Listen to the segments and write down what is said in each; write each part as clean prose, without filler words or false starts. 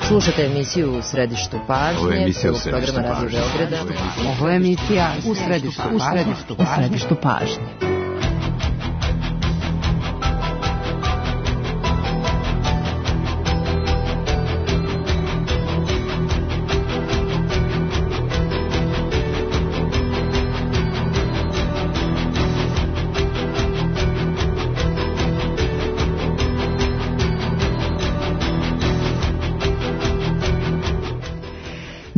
Slušate emisiju U središtu pažnje, prvog programa Radio Beograda. Ovo je emisija U središtu pažnje.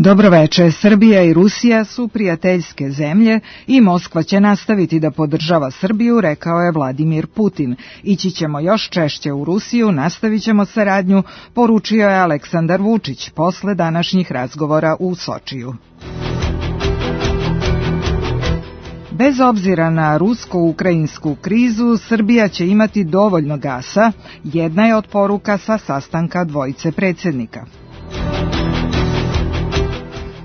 Dobroveče, Srbija i Rusija su prijateljske zemlje i Moskva će nastaviti da podržava Srbiju, rekao je Vladimir Putin. Ići ćemo još češće u Rusiju, nastavit ćemo saradnju, poručio je Aleksandar Vučić posle današnjih razgovora u Sočiju. Bez obzira na rusko-ukrajinsku krizu, Srbija će imati dovoljno gasa, jedna je od poruka sa sastanka dvojice predsjednika.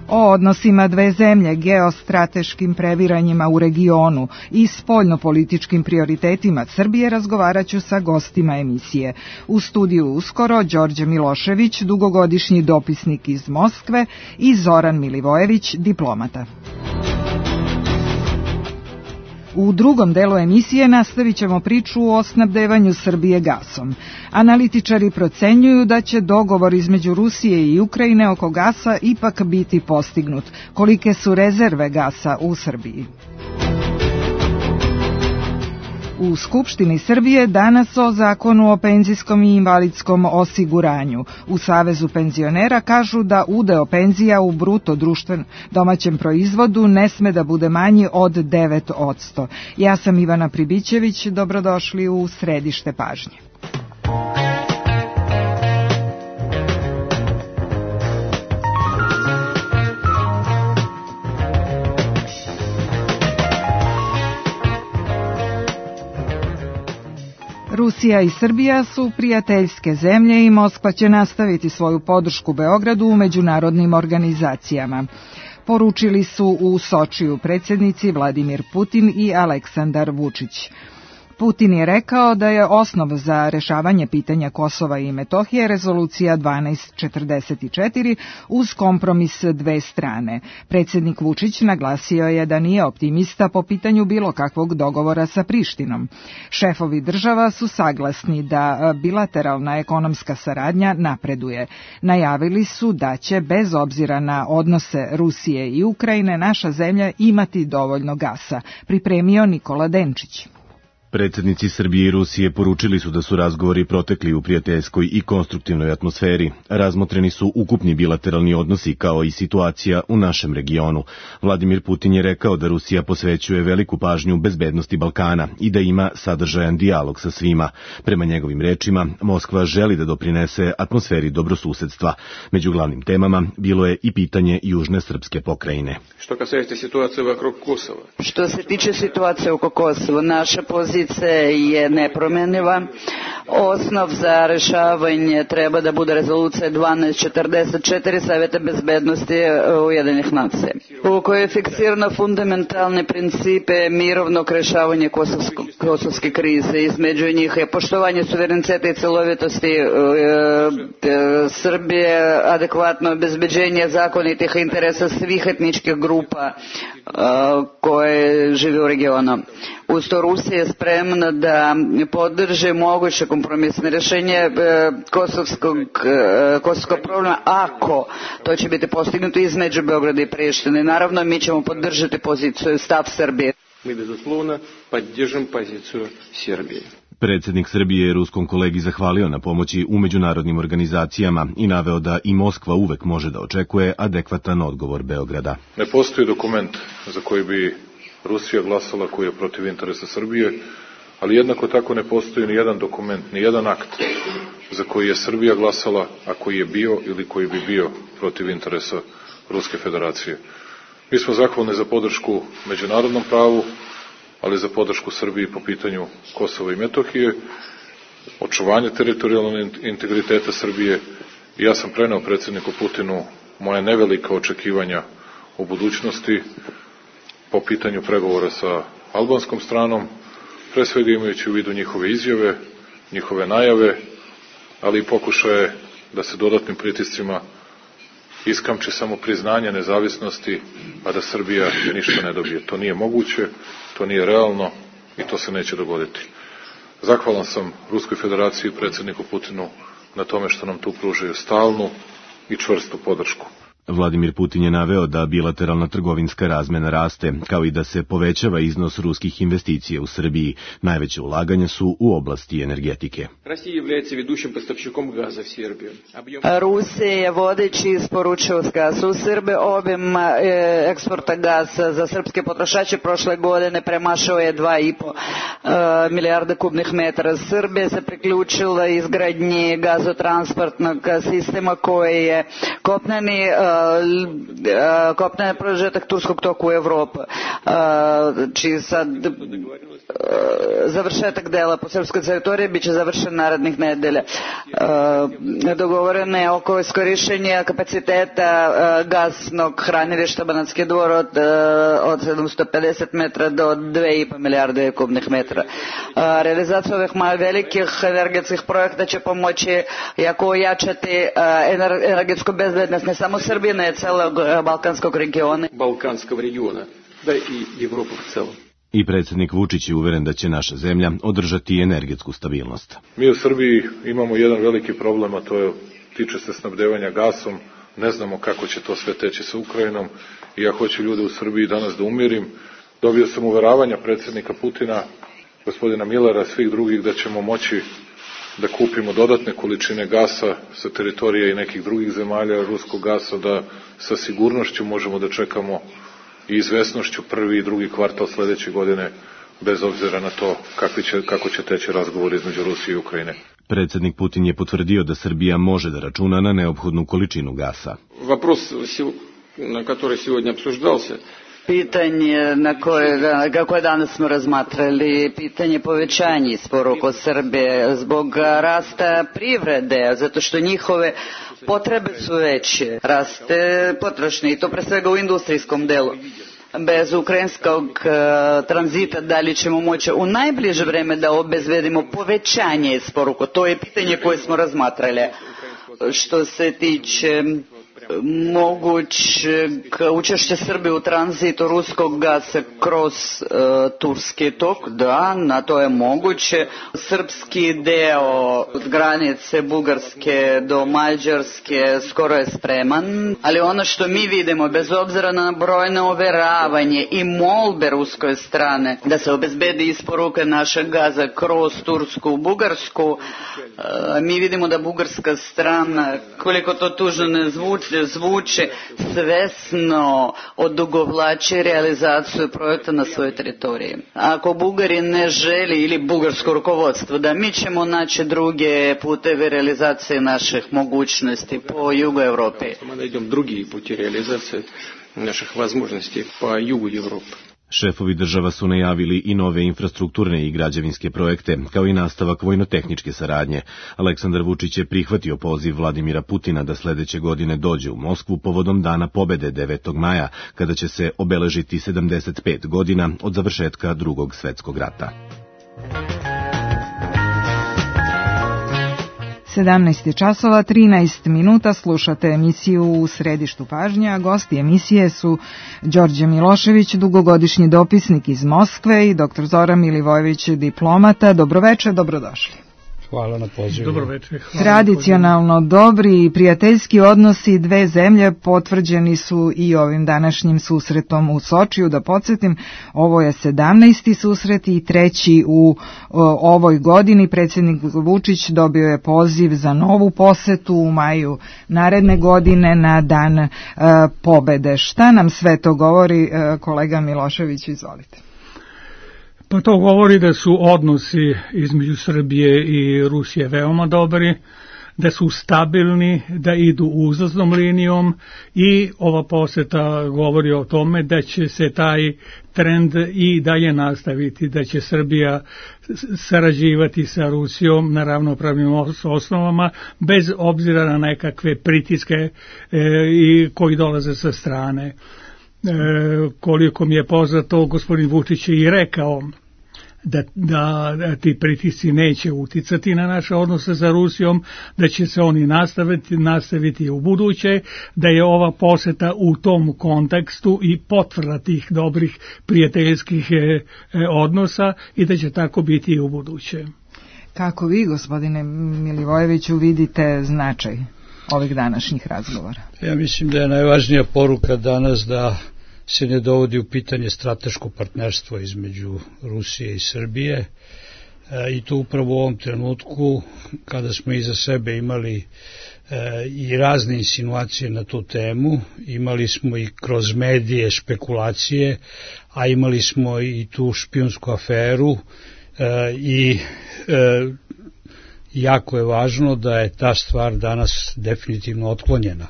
O odnosima dve zemlje, geostrateškim previranjima u regionu i spoljnopolitičkim prioritetima Srbije razgovarat ću sa gostima emisije. U studiju uskoro Đorđe Milošević, dugogodišnji dopisnik iz Moskve, i Zoran Milivojević, diplomata. U drugom delu emisije nastavit ćemo priču o snabdevanju Srbije gasom. Analitičari procenjuju da će dogovor između Rusije i Ukrajine oko gasa ipak biti postignut. Kolike su rezerve gasa u Srbiji? U Skupštini Srbije danas o zakonu o penzijskom i invalidskom osiguranju. U Savezu penzionera kažu da udeo penzija u bruto domaćem proizvodu ne sme da bude manji od 9%. Ja sam Ivana Pribićević, dobrodošli u središte pažnje. Rusija i Srbija su prijateljske zemlje i Moskva će nastaviti svoju podršku Beogradu u međunarodnim organizacijama. Poručili su u Sočiju predsjednici Vladimir Putin i Aleksandar Vučić. Putin je rekao da je osnov za rešavanje pitanja Kosova i Metohije rezolucija 1244 uz kompromis dve strane. Predsjednik Vučić naglasio je da nije optimista po pitanju bilo kakvog dogovora sa Prištinom. Šefovi država su saglasni da bilateralna ekonomska saradnja napreduje. Najavili su da će, bez obzira na odnose Rusije i Ukrajine, naša zemlja imati dovoljno gasa, pripremio Nikola Denčić. Predsjednici Srbije i Rusije poručili su da su razgovori protekli u prijateljskoj i konstruktivnoj atmosferi. Razmotreni su ukupni bilateralni odnosi kao i situacija u našem regionu. Vladimir Putin je rekao da Rusija posvećuje veliku pažnju bezbednosti Balkana i da ima sadržajan dijalog sa svima. Prema njegovim rečima, Moskva želi da doprinese atmosferi dobrosusedstva. Među glavnim temama bilo je i pitanje južne srpske pokrajine. Što se tiče situacije oko Kosova, naša pozicija je nepromjenjiva. Osnov za rešavanje treba da bude rezolucija 1244 Saveta bezbednosti Ujedinjenih nacija, u kojoj je fiksirano fundamentalne principe mirovnog rešavanja kosovske krize. Između njih je poštovanje suvereniteta i celovitosti Srbije, adekvatno obezbeđenje zakonitih interesa svih etničkih grupa koje žive u regionu. Uz to Rusija je spremna da podrži moguće kompromisne rješenje kosovskog problema ako to će biti postignuto između Beograda i Prištine. Naravno, mi ćemo podržati poziciju stav Srbije. Mi bezuslovno podržimo poziciju Srbije. Predsjednik Srbije je ruskom kolegi zahvalio na pomoći u međunarodnim organizacijama i naveo da i Moskva uvek može da očekuje adekvatan odgovor Beograda. Ne postoji dokument za koji bi Rusija glasala koji je protiv interesa Srbije, ali jednako tako ne postoji ni jedan dokument, ni jedan akt za koji je Srbija glasala, a koji je bio ili koji bi bio protiv interesa Ruske federacije. Mi smo zahvalni za podršku međunarodnom pravu, ali za podršku Srbiji po pitanju Kosova i Metohije, očuvanje teritorijalnog integriteta Srbije. I ja sam preneo predsjedniku Putinu moje nevelika očekivanja u budućnosti po pitanju pregovora sa albanskom stranom, pre svega imajući u vidu njihove izjave, njihove najave, ali i pokušaje da se dodatnim pritiscima iskamči samo priznanje nezavisnosti, a da Srbija ništa ne dobije. To nije moguće, to nije realno i to se neće dogoditi. Zahvalan sam Ruskoj federaciji i predsjedniku Putinu na tome što nam tu pružaju stalnu i čvrstu podršku. Vladimir Putin je naveo da bilateralna trgovinska razmena raste, kao i da se povećava iznos ruskih investicija u Srbiji. Najveće ulaganja su u oblasti energetike. Rusija je vodeći isporučilac gasa u Srbiji. Obim eksporta gasa za srpske potrošače prošle godine premašao je 2,5 milijarda kubnih metara. Srbija se priključila izgradnji gazotransportnog sistema koji je kopneni prožetak turskog toku u Evropu, čiji sad završetak dela po srpskoj teritoriji biće završen narednih nedelja. Dogovoreno je oko iskorišćenja kapaciteta gasnog hranilišta Banatski Dvor od 750 metra do 2,5 milijarde kubnih metara. Realizacija ovih velikih energetskih projekta će pomoći jako ojačati energetsku bezbednost ne samo Srbije, ne celog balkanskog regiona. Da i Evropu u celom. I predsjednik Vučić je uveren da će naša zemlja održati energetsku stabilnost. Mi u Srbiji imamo jedan veliki problem, a to je, tiče se snabdevanja gasom. Ne znamo kako će to sve teći sa Ukrajinom i ja hoću ljude u Srbiji danas da umirim. Dobio sam uveravanja predsjednika Putina, gospodina Millera, svih drugih da ćemo moći da kupimo dodatne količine gasa sa teritorije i nekih drugih zemalja, ruskog gasa, da sa sigurnošću možemo da čekamo i izvesnošću prvi i drugi kvartal sledeće godine, bez obzira na to kako će teći razgovor između Rusije i Ukrajine. Predsjednik Putin je potvrdio da Srbija može da računa na neophodnu količinu gasa. Вопрос, на который сегодня обсуждался, pitanje kako je danas smo razmatrali, pitanje povećanja isporuka Srbije zbog rasta privrede, zato što njihove potrebe su veće, raste potrošnje i to pre svega u industrijskom delu. Bez ukrajinskog tranzita da li ćemo moći u najbliže vreme da obezbedimo povećanje isporuka? To je pitanje koje smo razmatrali. Što se tiče mogućeg učešća Srbije u tranzitu ruskog gasa kroz turski tok, da, na to je moguće. Srpski deo od granice Bugarske do Mađarske skoro je spreman, ali ono što mi vidimo, bez obzira na brojne overavanje i molbe ruskoj strane da se obezbedi isporuka našeg gaza kroz Tursku u Bugarsku, mi vidimo da bugarska strana, koliko to tužno ne zvuči, svesno odugovlači realizaciju projekta na svojoj teritoriji. Ako Bugari ne želi ili bugarsko rukovodstvo, da mi ćemo naći druge puteve realizacije naših mogućnosti po jugu Evrope. Najdemo drugi puti realizacije naših mogućnosti po jugu Evrope. Šefovi država su najavili i nove infrastrukturne i građevinske projekte, kao i nastavak vojno-tehničke saradnje. Aleksandar Vučić je prihvatio poziv Vladimira Putina da sledeće godine dođe u Moskvu povodom Dana pobede 9. maja, kada će se obeležiti 75 godina od završetka Drugog svetskog rata. 17 časova, 13 minuta, slušate emisiju U središtu pažnje, a gosti emisije su Đorđe Milošević, dugogodišnji dopisnik iz Moskve i dr. Zoran Milivojević, diplomata. Dobroveče, dobrodošli. Hvala na pozivu. Dobroveče. Tradicionalno dobri i prijateljski odnosi dve zemlje potvrđeni su i ovim današnjim susretom u Sočiju. Da podsjetim, ovo je 17. susret i treći u ovoj godini. Predsjednik Vučić dobio je poziv za novu posetu u maju naredne godine na Dan pobede. Šta nam sve to govori, kolega Milošević, izvolite. Pa to govori da su odnosi između Srbije i Rusije veoma dobri, da su stabilni, da idu uzlaznom linijom i ova poseta govori o tome da će se taj trend i dalje nastaviti, da će Srbija sarađivati sa Rusijom na ravnopravnim osnovama bez obzira na nekakve pritiske koji dolaze sa strane. Koliko mi je poznato, gospodin Vučić je i rekao da ti pritisci neće uticati na naše odnose sa Rusijom, da će se oni nastaviti u buduće, da je ova poseta u tom kontekstu i potvrda tih dobrih prijateljskih odnosa i da će tako biti i u buduće. Kako vi, gospodine Milivojeviću, vidite značaj ovih današnjih razgovora? Ja mislim da je najvažnija poruka danas da se ne dovodi u pitanje strateško partnerstvo između Rusije i Srbije i to upravo u ovom trenutku kada smo iza sebe imali i razne insinuacije na tu temu, imali smo i kroz medije špekulacije, a imali smo i tu špijunsku aferu i jako je važno da je ta stvar danas definitivno otklonjena.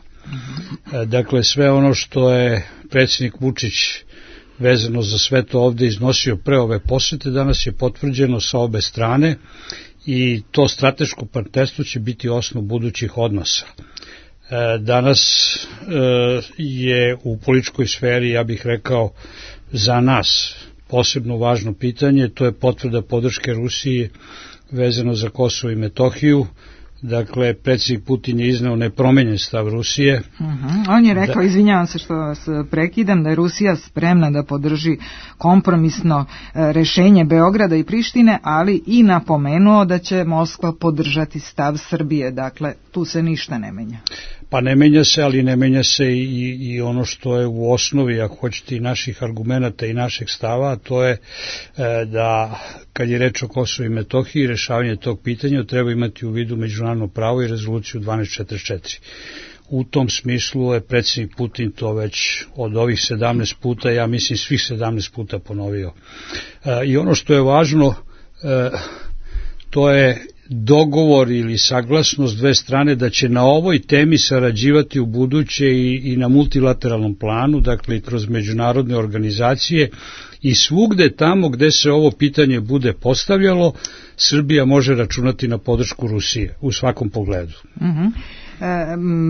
Dakle, sve ono što je predsjednik Vučić vezano za sve to ovde iznosio pre ove posete, danas je potvrđeno sa obe strane i to strateško partnerstvo će biti osnov budućih odnosa. Danas je u političkoj sferi, ja bih rekao, za nas posebno važno pitanje, to je potvrda podrške Rusiji vezano za Kosovo i Metohiju. Dakle, predsjednik Putin je izneo nepromenjen stav Rusije. On je rekao, izvinjavam se što vas prekidam, da je Rusija spremna da podrži kompromisno rešenje Beograda i Prištine, ali i napomenuo da će Moskva podržati stav Srbije. Dakle, tu se ništa ne menja. Pa ne menja se, ali ne menja se i ono što je u osnovi, ako hoćete, i naših argumenata i našeg stava, a to je da kad je reč o Kosovu i Metohiji, rešavanje tog pitanja treba imati u vidu međunarodno pravo i rezoluciju 1244. U tom smislu je predsjednik Putin to već od ovih 17 puta, ja mislim svih 17 puta ponovio. I ono što je važno, to je dogovor ili saglasnost dve strane da će na ovoj temi sarađivati u buduće i na multilateralnom planu, dakle i kroz međunarodne organizacije i svugde tamo gde se ovo pitanje bude postavljalo, Srbija može računati na podršku Rusije u svakom pogledu.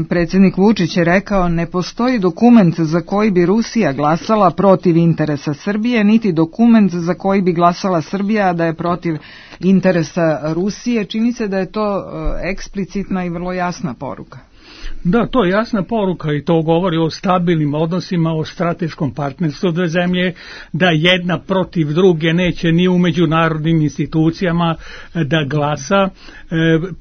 Predsjednik Vučić je rekao, ne postoji dokument za koji bi Rusija glasala protiv interesa Srbije, niti dokument za koji bi glasala Srbija da je protiv interesa Rusije. Čini se da je to eksplicitna i vrlo jasna poruka. Da, to je jasna poruka i to govori o stabilnim odnosima, o strateškom partnerstvu dve zemlje, da jedna protiv druge neće ni u međunarodnim institucijama da glasa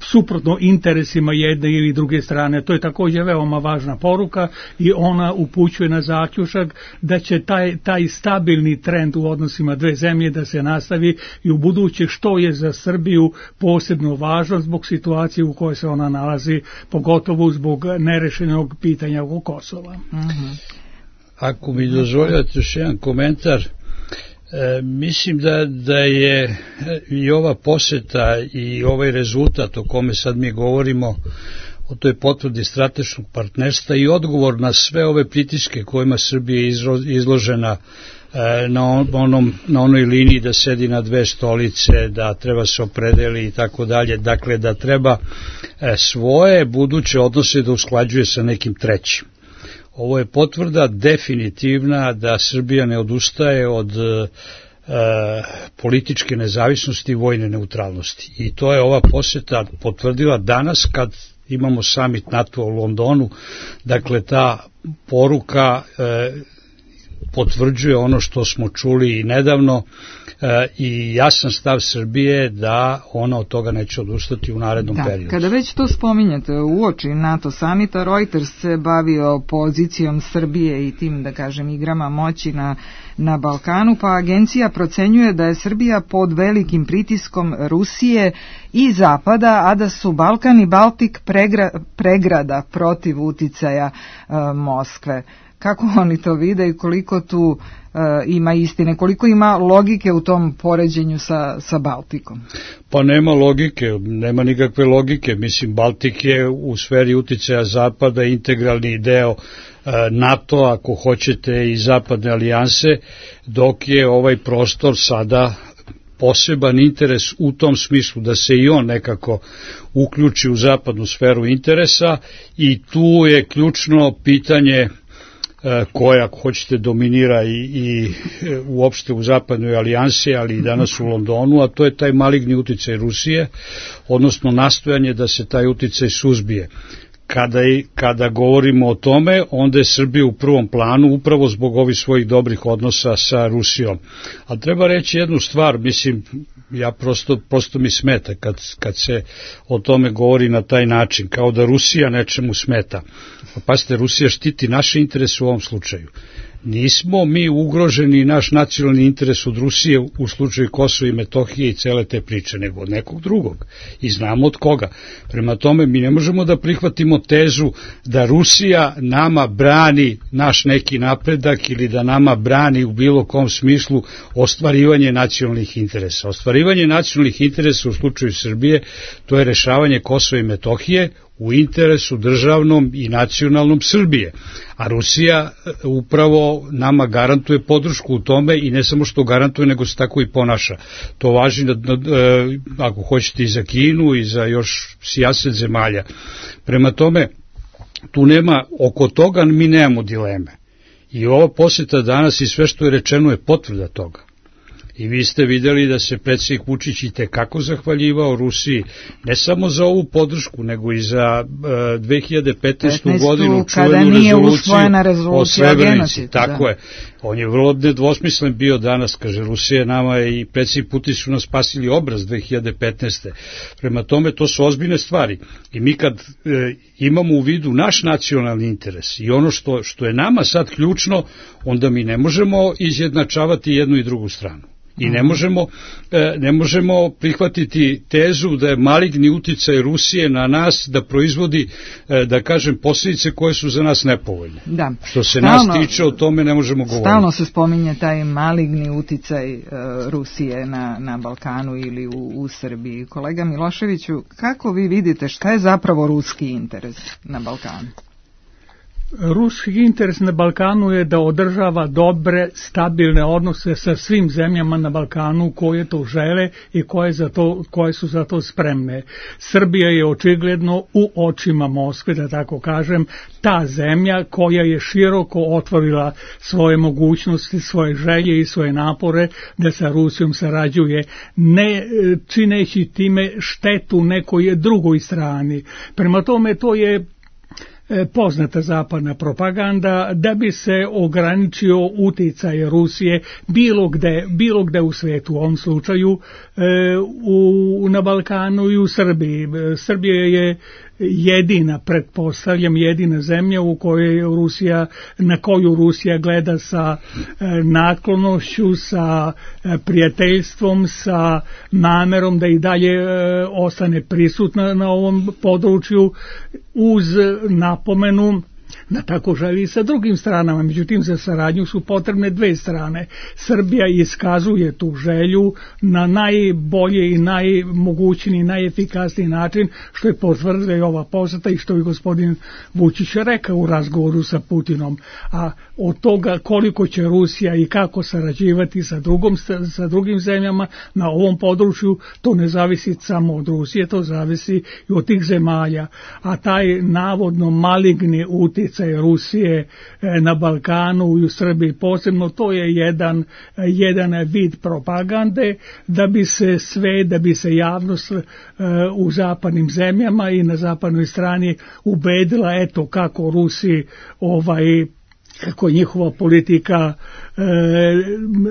suprotno interesima jedne ili druge strane. To je također veoma važna poruka i ona upućuje na zaključak da će taj stabilni trend u odnosima dve zemlje da se nastavi i u buduće, što je za Srbiju posebno važno zbog situacije u kojoj se ona nalazi, pogotovo zbog nerešenog pitanja oko Kosova. Ako mi dozvoljate još jedan komentar, mislim da je i ova poseta i ovaj rezultat o kome sad mi govorimo, o toj potvrdi strateškog partnerstva i odgovor na sve ove pritiske kojima Srbija je izložena na onoj liniji da sedi na dve stolice, da treba se opredeli i tako dalje, dakle da treba svoje buduće odnose da usklađuje sa nekim trećim. Ovo je potvrda definitivna da Srbija ne odustaje od političke nezavisnosti i vojne neutralnosti. I to je ova poseta potvrdila danas kad imamo summit NATO u Londonu, dakle ta poruka potvrđuje ono što smo čuli i nedavno i jasan stav Srbije da ona od toga neće odustati u narednom periodu. Kada već to spominjate, uoči NATO samita, Reuters se bavio pozicijom Srbije i tim, da kažem, igrama moći na Balkanu, pa agencija procenjuje da je Srbija pod velikim pritiskom Rusije i Zapada, a da su Balkan i Baltik pregrada protiv uticaja Moskve. Kako oni to vide i koliko tu ima istine, koliko ima logike u tom poređenju sa Baltikom? Pa nema logike, nema nikakve logike. Mislim, Baltik je u sferi uticaja Zapada integralni deo NATO, ako hoćete, i Zapadne alijanse, dok je ovaj prostor sada poseban interes u tom smislu da se i on nekako uključi u zapadnu sferu interesa i tu je ključno pitanje koja, ako hoćete, dominira i uopšte u zapadnoj alijansi, ali i danas u Londonu, a to je taj maligni uticaj Rusije, odnosno nastojanje da se taj uticaj suzbije. Kada govorimo o tome, onda je Srbija u prvom planu upravo zbog ovih svojih dobrih odnosa sa Rusijom. A treba reći jednu stvar, mislim, ja prosto mi smeta kad se o tome govori na taj način, kao da Rusija nečemu smeta. Pa pazite, Rusija štiti naše interese u ovom slučaju. Nismo mi ugroženi naš nacionalni interes od Rusije u slučaju Kosova i Metohije i cele te priče, nego od nekog drugog. I znamo od koga. Prema tome, mi ne možemo da prihvatimo tezu da Rusija nama brani naš neki napredak ili da nama brani u bilo kom smislu ostvarivanje nacionalnih interesa. Ostvarivanje nacionalnih interesa u slučaju Srbije, to je rešavanje Kosova i Metohije u interesu državnom i nacionalnom Srbije. A Rusija upravo nama garantuje podršku u tome i ne samo što garantuje, nego se tako i ponaša. To važi, ako hoćete, i za Kinu i za još sijaset zemalja. Prema tome, tu nema, oko toga mi nemamo dileme. I ova posjeta danas i sve što je rečeno je potvrda toga. I vi ste vidjeli da se predsjednik Vučić i tekako zahvaljivao Rusiji, ne samo za ovu podršku, nego i za 2015. godinu čuvenu rezoluciju o Srebrenici. Tako je. On je vrlo nedvosmislen bio danas, kaže, Rusija nama i predsjednik Putin su nas spasili obraz 2015. Prema tome, to su ozbiljne stvari. I mi kad imamo u vidu naš nacionalni interes i ono što je nama sad ključno, onda mi ne možemo izjednačavati jednu i drugu stranu. I ne možemo prihvatiti tezu da je maligni uticaj Rusije na nas da proizvodi, da kažem, posljedice koje su za nas nepovoljne. Da. Što se nas tiče, o tome ne možemo govoriti. Stalno se spominje taj maligni uticaj Rusije na Balkanu ili u Srbiji. Kolega Miloševiću, kako vi vidite šta je zapravo ruski interes na Balkanu? Ruski interes na Balkanu je da održava dobre, stabilne odnose sa svim zemljama na Balkanu koje to žele i koje su za to spremne. Srbija je očigledno u očima Moskve, da tako kažem, ta zemlja koja je široko otvorila svoje mogućnosti, svoje želje i svoje napore da sa Rusijom sarađuje, ne čineći time štetu nekoj drugoj strani. Prema tome, to je poznata zapadna propaganda da bi se ograničio uticaj Rusije bilo gde u svijetu, u ovom slučaju na Balkanu i u Srbiji. Srbija je jedina zemlja na koju Rusija gleda sa naklonošću, sa prijateljstvom, sa namerom da i dalje ostane prisutna na ovom području, uz napomenu da tako želi i sa drugim stranama. Međutim, za saradnju su potrebne dve strane. Srbija iskazuje tu želju na najbolje i najmogućniji, najefikasniji način, što je potvrdila i ova posjeta i što je gospodin Vučić rekao u razgovoru sa Putinom. A od toga koliko će Rusija i kako sarađivati sa drugim zemljama na ovom području, to ne zavisi samo od Rusije, to zavisi i od tih zemalja. A taj navodno maligni utjecaj Rusije na Balkanu i u Srbiji posebno, to je jedan vid propagande da bi se javnost u zapadnim zemljama i na zapadnoj strani ubedila eto kako Rusi kako je njihova politika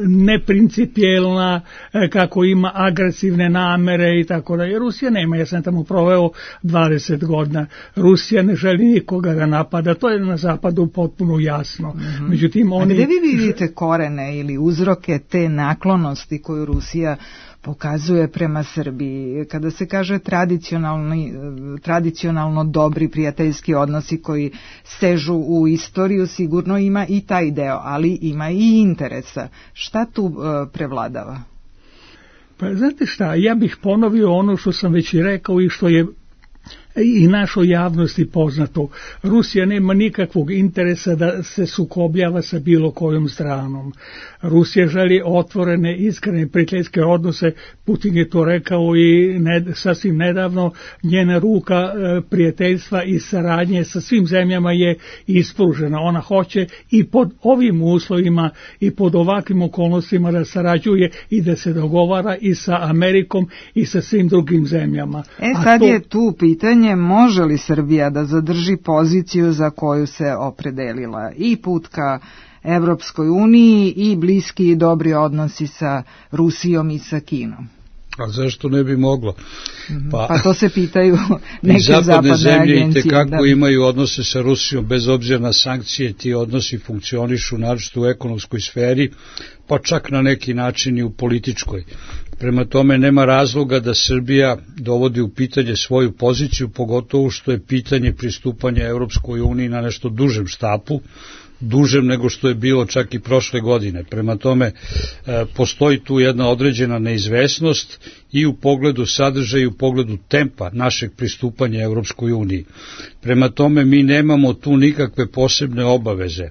neprincipijelna, kako ima agresivne namere i tako da. Rusija nema, ja sam tamo proveo 20 godina. Rusija ne želi nikoga da napada, to je na zapadu potpuno jasno. Mm-hmm. Međutim, a gde vi vidite korene ili uzroke te naklonosti koju Rusija pokazuje prema Srbiji? Kada se kaže tradicionalno dobri prijateljski odnosi koji sežu u istoriju, sigurno ima i taj deo, ali ima i interesa. Šta tu prevladava? Pa znate šta, ja bih ponovio ono što sam već i rekao i što je i našoj javnosti poznato. Rusija nema nikakvog interesa da se sukobljava sa bilo kojom stranom. Rusija želi otvorene, iskrene, prijateljske odnose. Putin je to rekao i sasvim nedavno. Njena ruka prijateljstva i saradnje sa svim zemljama je ispružena. Ona hoće i pod ovim uslovima i pod ovakvim okolnostima da sarađuje i da se dogovara i sa Amerikom i sa svim drugim zemljama. Sad je tu pitanje, može li Srbija da zadrži poziciju za koju se opredelila, i put ka Evropskoj uniji i bliski i dobri odnosi sa Rusijom i sa Kinom? A zašto ne bi moglo? Pa to se pitaju neke zapadne zemlje agencije. I tekako imaju odnose sa Rusijom, bez obzira na sankcije, ti odnosi funkcionišu naročito u ekonomskoj sferi, pa čak na neki način i u političkoj. Prema tome nema razloga da Srbija dovodi u pitanje svoju poziciju, pogotovo što je pitanje pristupanja Evropskoj uniji na nešto dužem štapu, dužem nego što je bilo čak i prošle godine. Prema tome, postoji tu jedna određena neizvesnost i u pogledu sadržaja i u pogledu tempa našeg pristupanja Evropskoj uniji. Prema tome, mi nemamo tu nikakve posebne obaveze.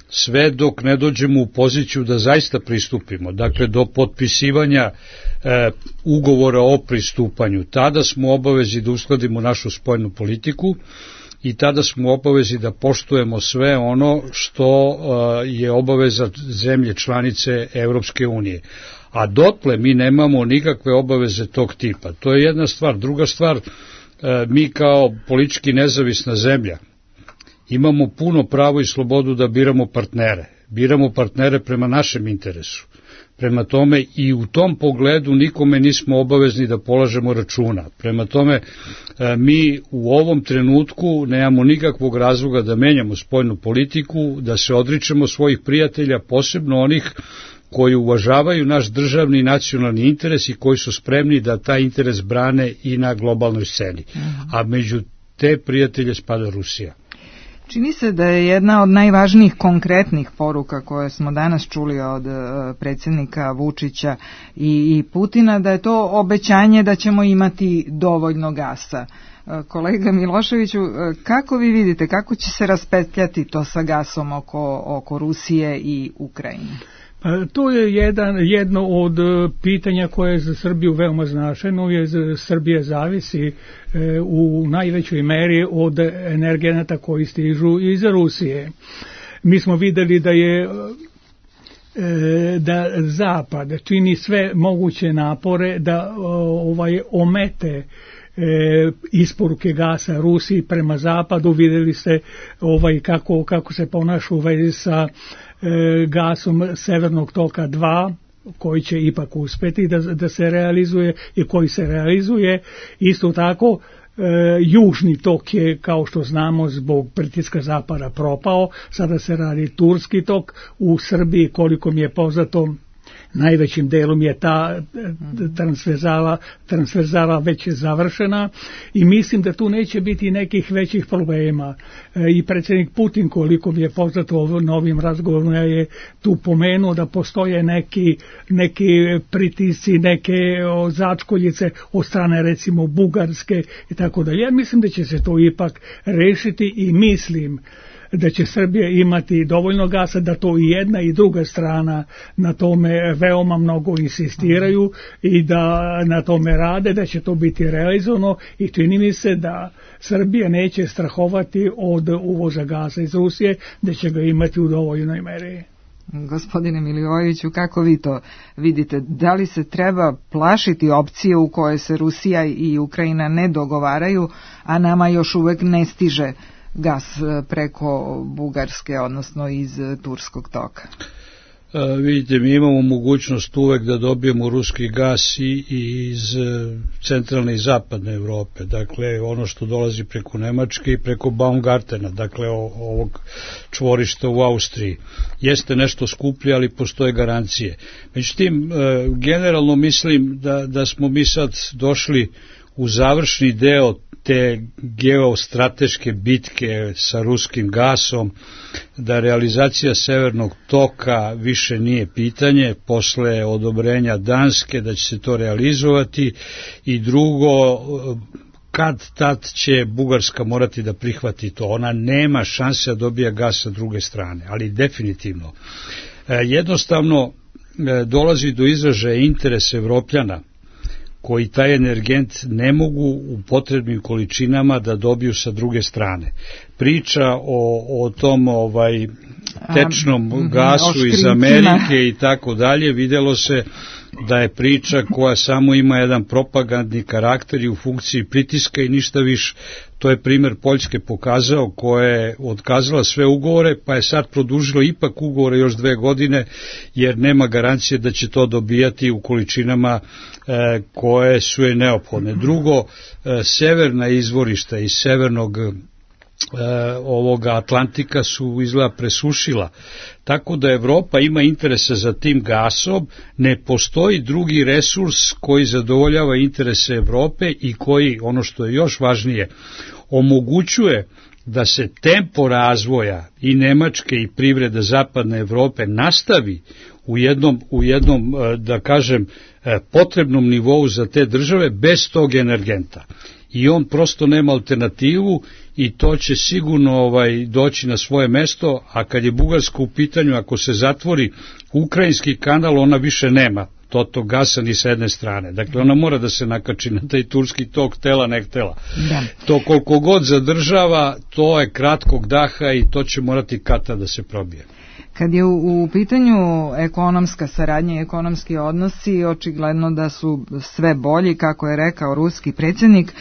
Sve dok ne dođemo u poziciju da zaista pristupimo, dakle do potpisivanja ugovora o pristupanju, tada smo obavezi da uskladimo našu spoljnu politiku i tada smo obavezi da poštujemo sve ono što je obaveza zemlje članice Evropske unije. A dotle mi nemamo nikakve obaveze tog tipa. To je jedna stvar. Druga stvar, mi kao politički nezavisna zemlja imamo puno pravo i slobodu da biramo partnere. Biramo partnere prema našem interesu. Prema tome i u tom pogledu nikome nismo obavezni da polažemo računa. Prema tome mi u ovom trenutku nemamo nikakvog razloga da menjamo spoljnu politiku, da se odričemo svojih prijatelja, posebno onih koji uvažavaju naš državni i nacionalni interes i koji su spremni da taj interes brane i na globalnoj sceni. A među te prijatelje spada Rusija. Čini se da je jedna od najvažnijih konkretnih poruka koje smo danas čuli od predsjednika Vučića i Putina, da je to obećanje da ćemo imati dovoljno gasa. Kolega Miloševiću, kako vi vidite, kako će se raspetljati to sa gasom oko Rusije i Ukrajine? To je jedno od pitanja koje je za Srbiju veoma značajno, jer Srbija zavisi u najvećoj meri od energenata koji stižu iz Rusije. Mi smo videli da Zapad čini sve moguće napore da omete isporuke gasa Rusiji prema Zapadu. Videli ste kako se ponaša u vezi sa gasom Severnog toka 2, koji će ipak uspeti da se realizuje i koji se realizuje. Isto tako, Južni tok je, kao što znamo, zbog pritiska Zapada propao. Sada se radi Turski tok. U Srbiji, koliko mi je poznato, najvećim delom je ta transverzala već završena i mislim da tu neće biti nekih većih problema. I predsjednik Putin, koliko mi je poznato na ovim razgovorima, je tu pomenuo da postoje neki pritisci, neke začkoljice od strane recimo Bugarske i tako dalje. Ja mislim da će se to ipak rešiti i mislim da će Srbija imati dovoljno gasa, da to i jedna i druga strana na tome veoma mnogo insistiraju i da na tome rade, da će to biti realizovano i čini mi se da Srbija neće strahovati od uvoza gasa iz Rusije, da će ga imati u dovoljnoj meri. Gospodine Milivojeviću, kako vi to vidite? Da li se treba plašiti opcije u kojoj se Rusija i Ukrajina ne dogovaraju, a nama još uvek ne stiže gas preko Bugarske, odnosno iz Turskog toka? Vidite, mi imamo mogućnost uvek da dobijemo ruski gas i iz centralne i zapadne Evrope, dakle ono što dolazi preko Nemačke i preko Baumgartena, dakle ovog čvorišta u Austriji. Jeste nešto skuplje, ali postoje garancije. Međutim, generalno mislim da smo mi sad došli u završni deo te geostrateške bitke sa ruskim gasom, da realizacija Severnog toka više nije pitanje, posle odobrenja Danske da će se to realizovati, i drugo, kad tad će Bugarska morati da prihvati to. Ona nema šanse da dobija gas sa druge strane, ali definitivno. Jednostavno dolazi do izražaja interes Evropljana koji taj energent ne mogu u potrebnim količinama da dobiju sa druge strane. Priča o tom tečnom gasu iz Amerike i tako dalje, videlo se da je priča koja samo ima jedan propagandni karakter i u funkciji pritiska i ništa više. To je primjer Poljske pokazao, koja je otkazala sve ugovore, pa je sad produžilo ipak ugovore još 2 godine, jer nema garancije da će to dobijati u količinama koje su je neophodne. Drugo, severna izvorišta iz severnog ovoga Atlantika su izgleda presušila, tako da Evropa ima interese za tim gasom, ne postoji drugi resurs koji zadovoljava interese Evrope i koji, ono što je još važnije, omogućuje da se tempo razvoja i Nemačke i privrede zapadne Evrope nastavi u jednom da kažem, potrebnom nivou za te države bez tog energenta. I on prosto nema alternativu i to će sigurno doći na svoje mesto, a kad je Bugarska u pitanju, ako se zatvori Ukrajinski kanal, ona više nema tog gasa ni sa jedne strane. Dakle, ona mora da se nakači na taj turski tok, htela ne htela. Da. To koliko god zadržava, to je kratkog daha i to će morati kata da se probije. Kad je u pitanju ekonomska saradnja i ekonomski odnosi, očigledno da su sve bolji, kako je rekao ruski predsjednik.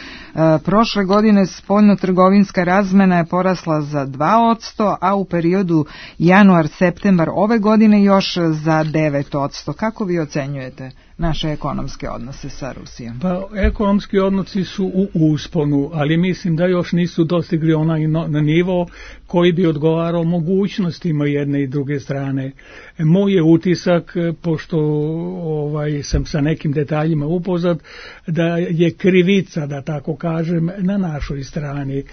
Prošle godine spoljno-trgovinska razmena je porasla za 2%, a u periodu januar-septembar ove godine još za 9%. Kako vi ocenjujete naše ekonomske odnose sa Rusijom? Pa, ekonomski odnosi su u usponu, ali mislim da još nisu dostigli onaj na nivo koji bi odgovarao mogućnostima jedne i druge strane. Moj je utisak, pošto sam sa nekim detaljima upoznat, da je krivica, da tako kažem, na našoj strani.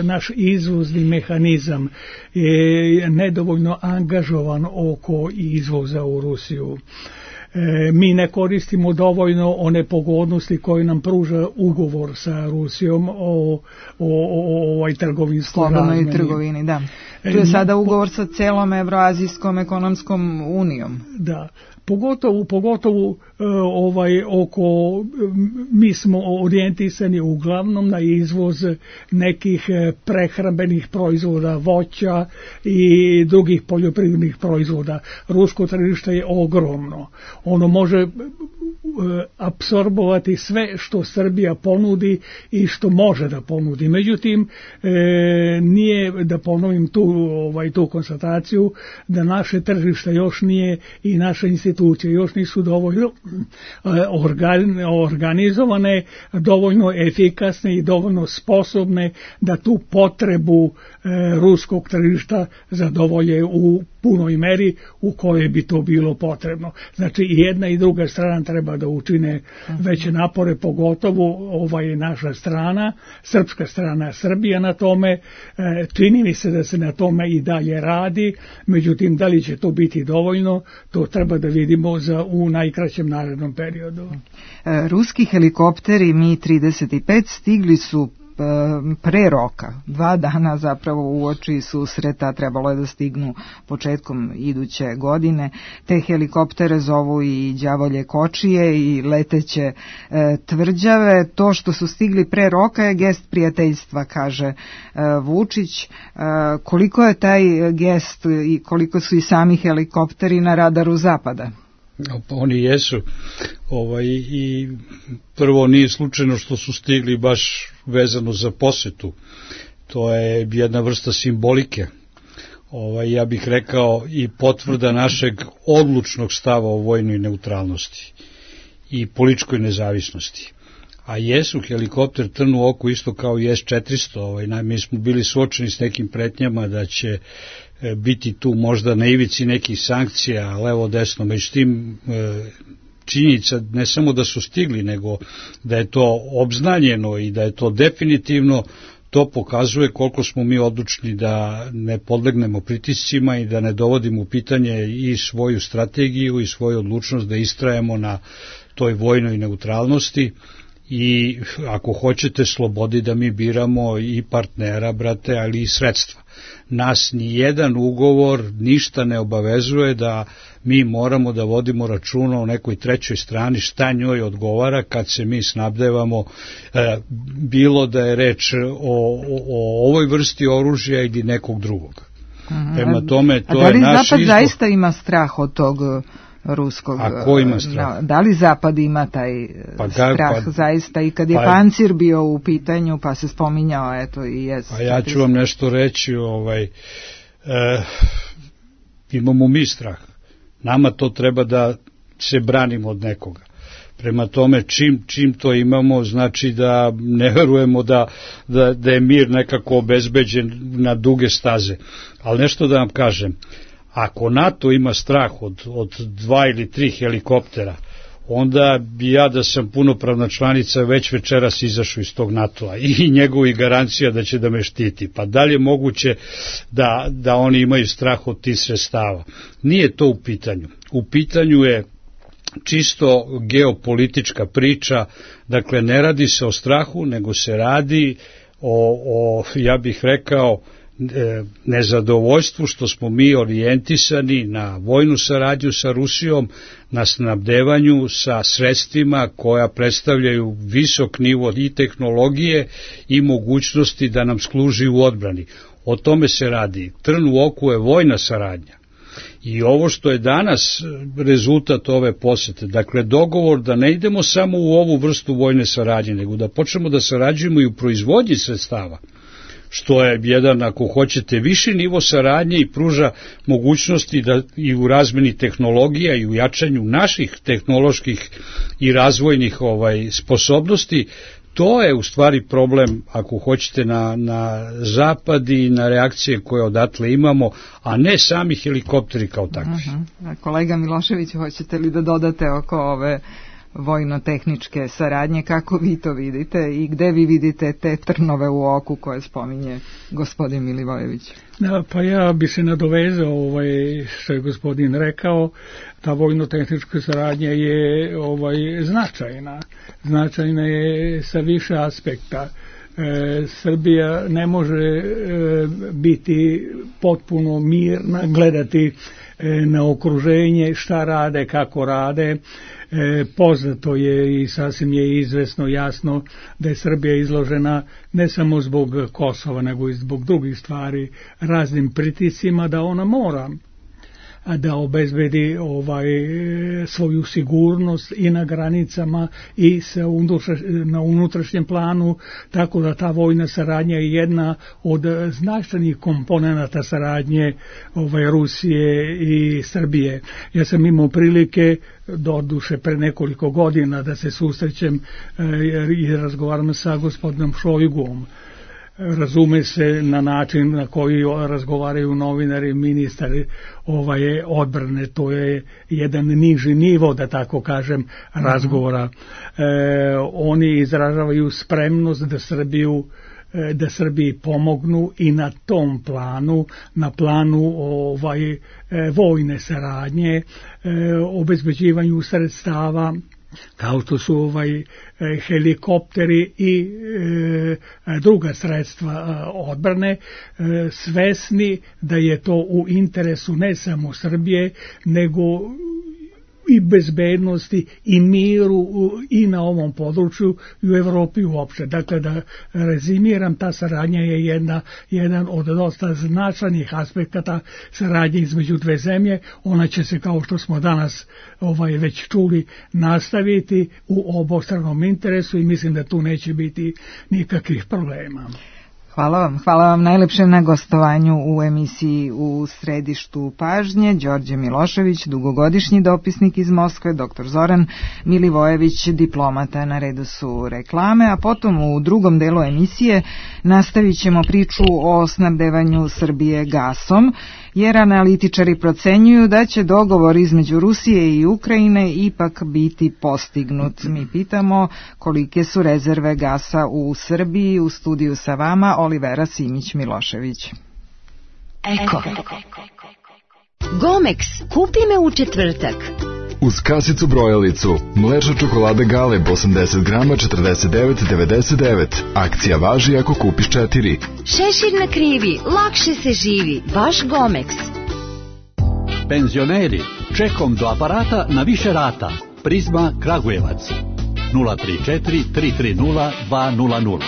Naš izvozni mehanizam je nedovoljno angažovan oko izvoza u Rusiju. Mi ne koristimo dovoljno one pogodnosti koje nam pruža ugovor sa Rusijom o trgovinskoj razmeni. Slobodnoj trgovini, da. Tu je sada ugovor sa celom Evroazijskom ekonomskom unijom. Da. Pogotovo oko, mi smo orijentisani uglavnom na izvoz nekih prehrambenih proizvoda, voća i drugih poljoprivrednih proizvoda. Rusko tržište je ogromno. Ono može apsorbovati sve što Srbija ponudi i što može da ponudi. Međutim, nije, da ponovim tu konstataciju, da naše tržište još nije i naše institucije još nisu dovoljno organizovane, dovoljno efikasne i dovoljno sposobne da tu potrebu ruskog tržišta zadovolje u punoj meri u kojoj bi to bilo potrebno. Znači i jedna i druga strana treba da učine veće napore, pogotovo naša strana, srpska strana, Srbija na tome. Čini mi se da se na tome i dalje radi, međutim da li će to biti dovoljno, to treba da vidimo u najkraćem narednom periodu. Ruski helikopteri Mi-35 stigli su pre roka, 2 dana zapravo uoči susreta, trebalo je da stignu početkom iduće godine. Te helikoptere zovu i đavolje kočije i leteće tvrđave. To što su stigli pre roka je gest prijateljstva, kaže Vučić. Koliko je taj gest i koliko su i sami helikopteri na radaru Zapada? Oni jesu. I prvo nije slučajno što su stigli baš vezano za posetu. To je jedna vrsta simbolike. Ja bih rekao i potvrda našeg odlučnog stava o vojnoj neutralnosti i političkoj nezavisnosti. A jesu helikopter trn u oku isto kao i S-400. Mi smo bili suočeni s nekim pretnjama da će biti tu možda na ivici nekih sankcija, levo desno, međutim činjenica ne samo da su stigli, nego da je to obznanjeno i da je to definitivno, to pokazuje koliko smo mi odlučni da ne podlegnemo pritiscima i da ne dovodimo u pitanje i svoju strategiju i svoju odlučnost da istrajemo na toj vojnoj neutralnosti i ako hoćete slobodi da mi biramo i partnera, brate, ali i sredstva. Nas ni jedan ugovor ništa ne obavezuje da mi moramo da vodimo računa o nekoj trećoj strani šta njoj odgovara kad se mi snabdevamo, bilo da je reč o ovoj vrsti oružja ili nekog drugog. Prema tome, to je naš izbor. Da li Zapad zaista ima strah od tog ruskog? A ko ima strah? Da li Zapad ima taj strah zaista? I kad je pancir bio u pitanju, pa se spominjao, eto i S-400. Pa ja ću vam nešto reći, imamo mi strah. Nama to treba da se branimo od nekoga. Prema tome, čim to imamo, znači da ne verujemo da je mir nekako obezbeđen na duge staze. Ali nešto da vam kažem, ako NATO ima strah od 2 ili 3 helikoptera, onda bi ja da sam punopravna članica već večeras izašao iz tog NATO-a i njegovih garancija da će da me štiti. Pa da li je moguće da oni imaju strah od tih sredstava? Nije to u pitanju. U pitanju je čisto geopolitička priča, dakle ne radi se o strahu, nego se radi o ja bih rekao, nezadovoljstvu što smo mi orijentisani na vojnu saradnju sa Rusijom, na snabdevanju sa sredstvima koja predstavljaju visok nivo i tehnologije i mogućnosti da nam služi u odbrani. O tome se radi. Trn u oku je vojna saradnja. I ovo što je danas rezultat ove posete, dakle dogovor da ne idemo samo u ovu vrstu vojne saradnje, nego da počnemo da sarađujemo i u proizvodnji sredstava, što je jedan, ako hoćete, viši nivo saradnje i pruža mogućnosti da i u razmeni tehnologija i u jačanju naših tehnoloških i razvojnih sposobnosti. To je u stvari problem, ako hoćete, na zapad i na reakcije koje odatle imamo, a ne sami helikopteri kao takvi. Kolega Milošević, hoćete li da dodate oko ove vojno-tehničke saradnje, kako vi to vidite i gde vi vidite te trnove u oku koje spominje gospodin Milivojević? Pa ja bi se nadovezao što je gospodin rekao, ta vojno-tehnička saradnja je značajna je sa više aspekta. Srbija ne može biti potpuno mirna, gledati na okruženje, šta rade, kako rade. Poznato je i sasvim je izvesno jasno da je Srbija izložena ne samo zbog Kosova, nego i zbog drugih stvari raznim pritiscima, da ona mora da obezbedi svoju sigurnost i na granicama i na unutrašnjem planu, tako da ta vojna saradnja je jedna od značajnih komponenata saradnje Rusije i Srbije. Ja sam imao prilike doduše pre nekoliko godina da se susrećem i razgovaram sa gospodinom Šojgom. Razume se na način na koji razgovaraju novinari, ministari odbrane, to je jedan niži nivo, da tako kažem, razgovora. Oni izražavaju spremnost da Srbiji pomognu i na tom planu, na planu vojne saradnje, obezbeđivanju sredstava, kao što su helikopteri i druga sredstva odbrane, svesni da je to u interesu ne samo Srbije, nego i bezbednosti i miru i na ovom području i u Evropi uopšte. Dakle, da rezimiram, ta saradnja je jedan od dosta značajnih aspekata saradnje između dve zemlje. Ona će se, kao što smo danas već čuli, nastaviti u obostranom interesu i mislim da tu neće biti nikakvih problema. Hvala vam najlepše na gostovanju u emisiji U središtu pažnje. Đorđe Milošević, dugogodišnji dopisnik iz Moskve, dr. Zoran Milivojević, diplomata. Na redu su reklame, a potom u drugom delu emisije nastavit ćemo priču o snabdevanju Srbije gasom, jer analitičari procenjuju da će dogovor između Rusije i Ukrajine ipak biti postignut. Mi pitamo kolike su rezerve gasa u Srbiji. U studiju sa vama Olivera Simić-Milošević. Eko. Gomex, kupi me u četvrtak. Uz kasicu brojalicu, mlečna čokolada Galeb 80 grama 49,99. Akcija važi ako kupiš 4. Šešir na krivi, lakše se živi, vaš Gomex. Penzioneri, čekom do aparata na više rata. Prizma Kragujevac 034 330 200.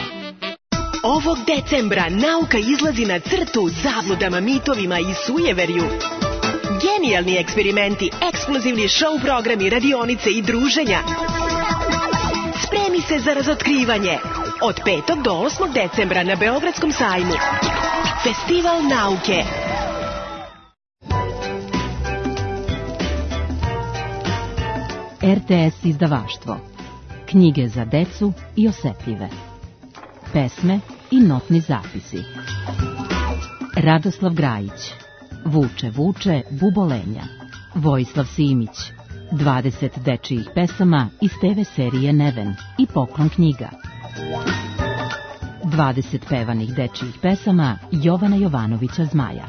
Ovog decembra nauka izlazi na crtu zabludama, mitovima i sujeverju. Genijalni eksperimenti, ekskluzivni show programi, radionice i druženja. Spremi se za razotkrivanje. Od 5. do 8. decembra na Beogradskom sajmu. Festival nauke. RTS izdavaštvo. Knjige za decu i osetljive. Pesme i notni zapisi. Radoslav Grajić. Vuče, vuče, bubolenja. Vojislav Simić. 20 dečijih pesama iz TV serije Neven i Poklon knjiga. 20 pevanih dečijih pesama Jovana Jovanovića Zmaja.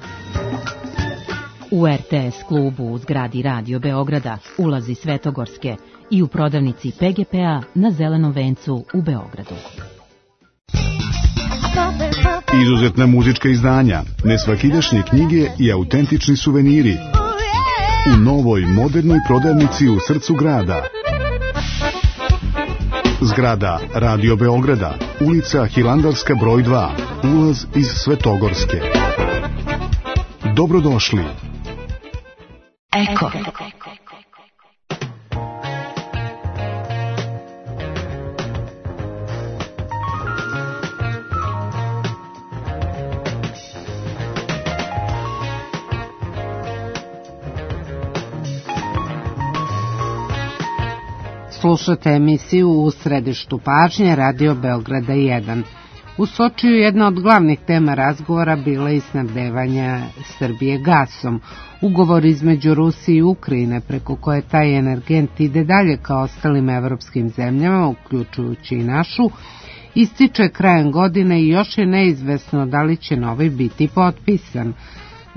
U RTS klubu u zgradi Radio Beograda, ulazi Svetogorske i u prodavnici PGP-a na Zelenom vencu u Beogradu. Izuzetna muzička izdanja, nesvakidašnje knjige i autentični suveniri u novoj modernoj prodavnici u srcu grada. Zgrada Radio Beograda, ulica Hilandarska broj 2, ulaz iz Svetogorske. Dobrodošli. Eko. Slušate emisiju U središtu pažnje Radio Beograda 1. U Sočiju jedna od glavnih tema razgovora bila i snabdevanja Srbije gasom. Ugovor između Rusije i Ukrajine preko koje taj energent ide dalje kao ostalim evropskim zemljama, uključujući i našu, ističe krajem godine i još je neizvesno da li će novi biti potpisan.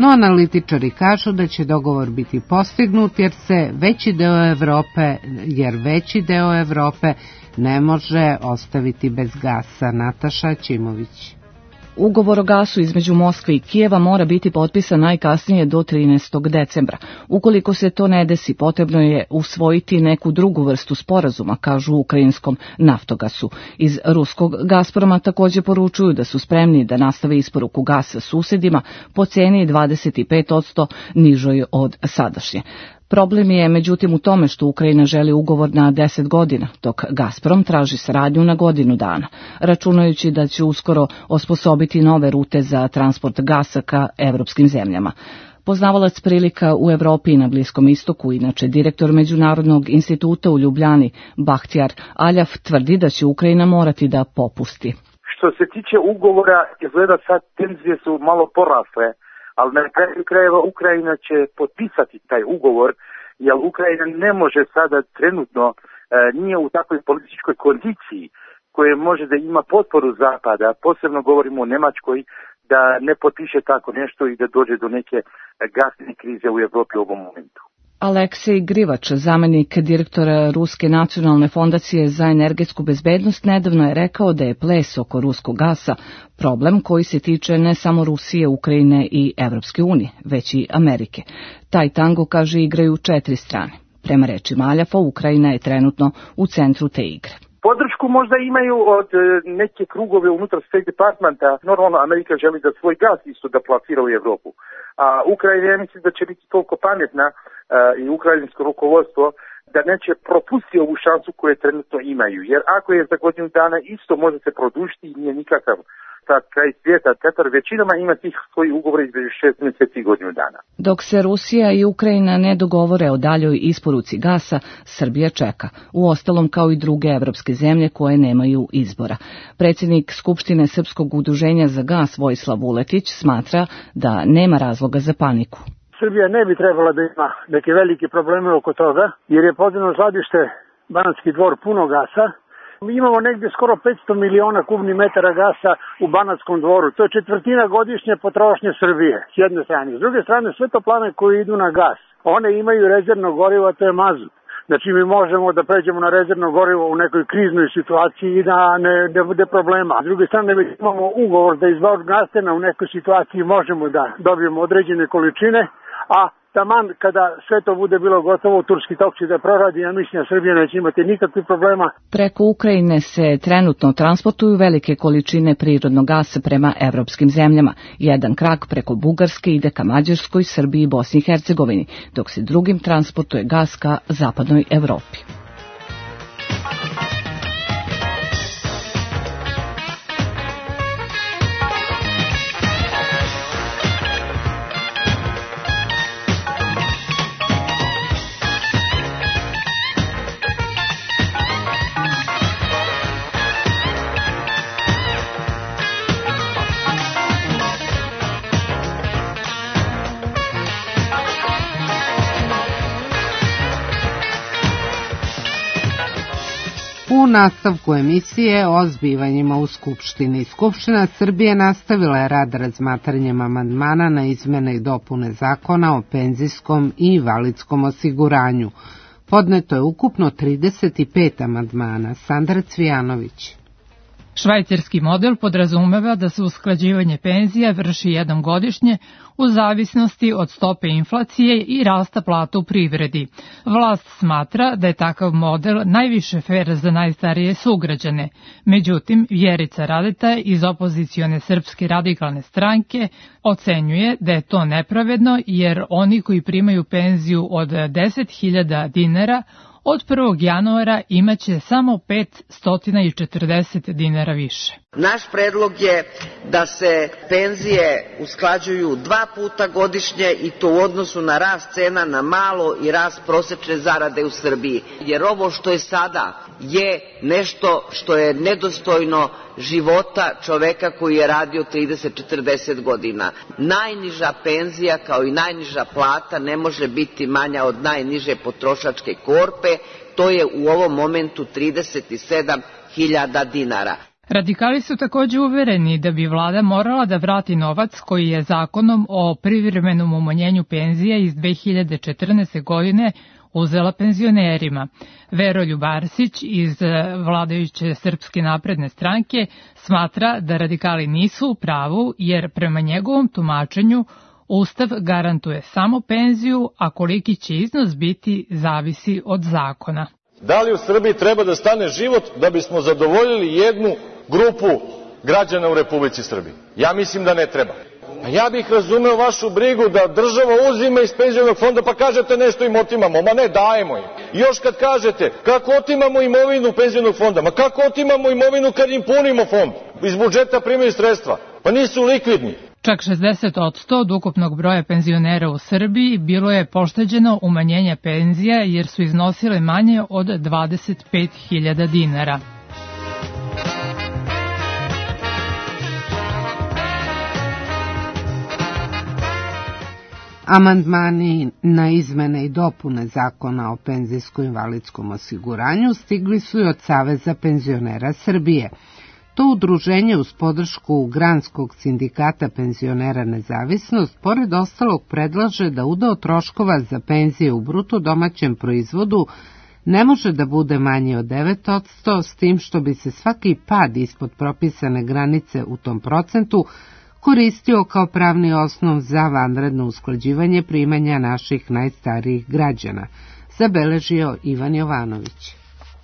No analitičari kažu da će dogovor biti postignut jer veći deo Evrope ne može ostaviti bez gasa. Nataša Ćimović. Ugovor o gasu između Moskve i Kijeva mora biti potpisan najkasnije do 13. decembra. Ukoliko se to ne desi, potrebno je usvojiti neku drugu vrstu sporazuma, kažu u ukrajinskom Naftogasu. Iz ruskog Gazproma također poručuju da su spremni da nastave isporuku gasa susedima po ceni 25% nižoj od sadašnje. Problem je međutim u tome što Ukrajina želi ugovor na 10 godina, dok Gazprom traži saradnju na godinu dana, računajući da će uskoro osposobiti nove rute za transport gasa ka evropskim zemljama. Poznavalac prilika u Evropi i na Bliskom istoku, inače direktor Međunarodnog instituta u Ljubljani, Bahtjar Aljaf, tvrdi da će Ukrajina morati da popusti. Što se tiče ugovora, izgleda sad tenzije su malo porasle, ali na kraju krajeva Ukrajina će potpisati taj ugovor, jer Ukrajina ne može sada trenutno, nije u takvoj političkoj kondiciji koje može da ima potporu Zapada, posebno govorimo o Nemačkoj, da ne potpiše tako nešto i da dođe do neke gasne krize u Evropi u ovom momentu. Aleksej Grivač, zamenik direktora Ruske nacionalne fondacije za energetsku bezbednost, nedavno je rekao da je ples oko ruskog gasa problem koji se tiče ne samo Rusije, Ukrajine i Evropske unije, već i Amerike. Taj tango, kaže, igraju 4 strane. Prema rečima Aljafa, Ukrajina je trenutno u centru te igre. Podršku možda imaju od neke krugove unutar State Departmenta. Normalno Amerika želi da svoj gas isto da plasira u Evropu. A Ukrajina, ja mislim da će biti toliko pametna i ukrajinsko rukovodstvo da neće propustiti ovu šansu koju trenutno imaju. Jer ako je za godinu dana isto može se produžiti i nije nikakav kraj svijeta. Tetar većinama ima tih svojih ugovora između 6 mjeseci i godinu dana. Dok se Rusija i Ukrajina ne dogovore o daljoj isporuci gasa, Srbija čeka. Uostalom kao i druge evropske zemlje koje nemaju izbora. Predsjednik Skupštine Srpskog udruženja za gas Vojislav Vuletić smatra da nema razloga za paniku. Srbija ne bi trebala da ima neke velike probleme oko toga, jer je podzemno skladište Banatski Dvor puno gasa. Mi imamo negdje skoro 500 miliona kubnih metara gasa u Banatskom Dvoru. To je četvrtina godišnje potrošnje Srbije, s jedne strane. S druge strane, sve toplane koje idu na gas, one imaju rezervno gorivo, a to je mazut. Znači mi možemo da pređemo na rezervno gorivo u nekoj kriznoj situaciji i da ne bude problema. S druge strane, već imamo ugovor da iz Vorgastena u nekoj situaciji možemo da dobijemo određene količine, a taman kada sve to bude bilo gotovo, turski tok će da proradi, ja mislim da Srbija neće imati nikakvih problema. Preko Ukrajine se trenutno transportuju velike količine prirodnog gasa prema evropskim zemljama. Jedan krak preko Bugarske ide ka Mađarskoj, Srbiji i Bosni i Hercegovini, dok se drugim transportuje gas ka zapadnoj Evropi. U nastavku emisije o zbivanjima u Skupštini. Skupština Srbije nastavila je rad razmatranjem amandmana na izmene i dopune zakona o penzijskom i invalidskom osiguranju. Podneto je ukupno 35 amandmana. Sandra Cvijanović. Švajcarski model podrazumeva da se usklađivanje penzija vrši jednom godišnje u zavisnosti od stope inflacije i rasta plata u privredi. Vlast smatra da je takav model najviše fer za najstarije sugrađane. Međutim, Vjerica Radeta iz opozicione Srpske radikalne stranke ocenjuje da je to nepravedno jer oni koji primaju penziju od 10.000 dinara od 1. januara imaće samo 540 dinara više. Naš predlog je da se penzije usklađuju 2 puta godišnje i to u odnosu na rast cena na malo i rast prosečne zarade u Srbiji. Jer ovo što je sada je nešto što je nedostojno života čoveka koji je radio 30-40 godina. Najniža penzija kao i najniža plata ne može biti manja od najniže potrošačke korpe, to je u ovom momentu 37.000 dinara. Radikali su također uvereni da bi vlada morala da vrati novac koji je zakonom o privremenom umanjenju penzija iz 2014. godine uzela penzionerima. Veroljub Arsić iz vladajuće Srpske napredne stranke smatra da radikali nisu u pravu jer prema njegovom tumačenju Ustav garantuje samo penziju, a koliki će iznos biti zavisi od zakona. Da li u Srbiji treba da stane život da bismo zadovoljili jednu grupu građana u Republici Srbiji? Ja mislim da ne treba. Ja bih razumeo vašu brigu da država uzima iz penzionog fonda pa kažete nešto im otimamo, ma ne, dajemo im. I još kad kažete kako otimamo imovinu penzionog fonda, ma kako otimamo imovinu kad im punimo fond? Iz budžeta primaju sredstva, pa nisu likvidni. Čak 60% od ukupnog broja penzionera u Srbiji bilo je pošteđeno umanjenja penzija jer su iznosile manje od 25.000 dinara. Amandmani na izmene i dopune zakona o penzijsko-invalidskom osiguranju stigli su i od Saveza penzionera Srbije. To udruženje uz podršku Granskog sindikata penzionera Nezavisnost pored ostalog predlaže da udeo troškova za penzije u bruto domaćem proizvodu ne može da bude manji od 9%, s tim što bi se svaki pad ispod propisane granice u tom procentu koristio kao pravni osnov za vanredno usklađivanje primanja naših najstarijih građana, zabeležio Ivan Jovanović.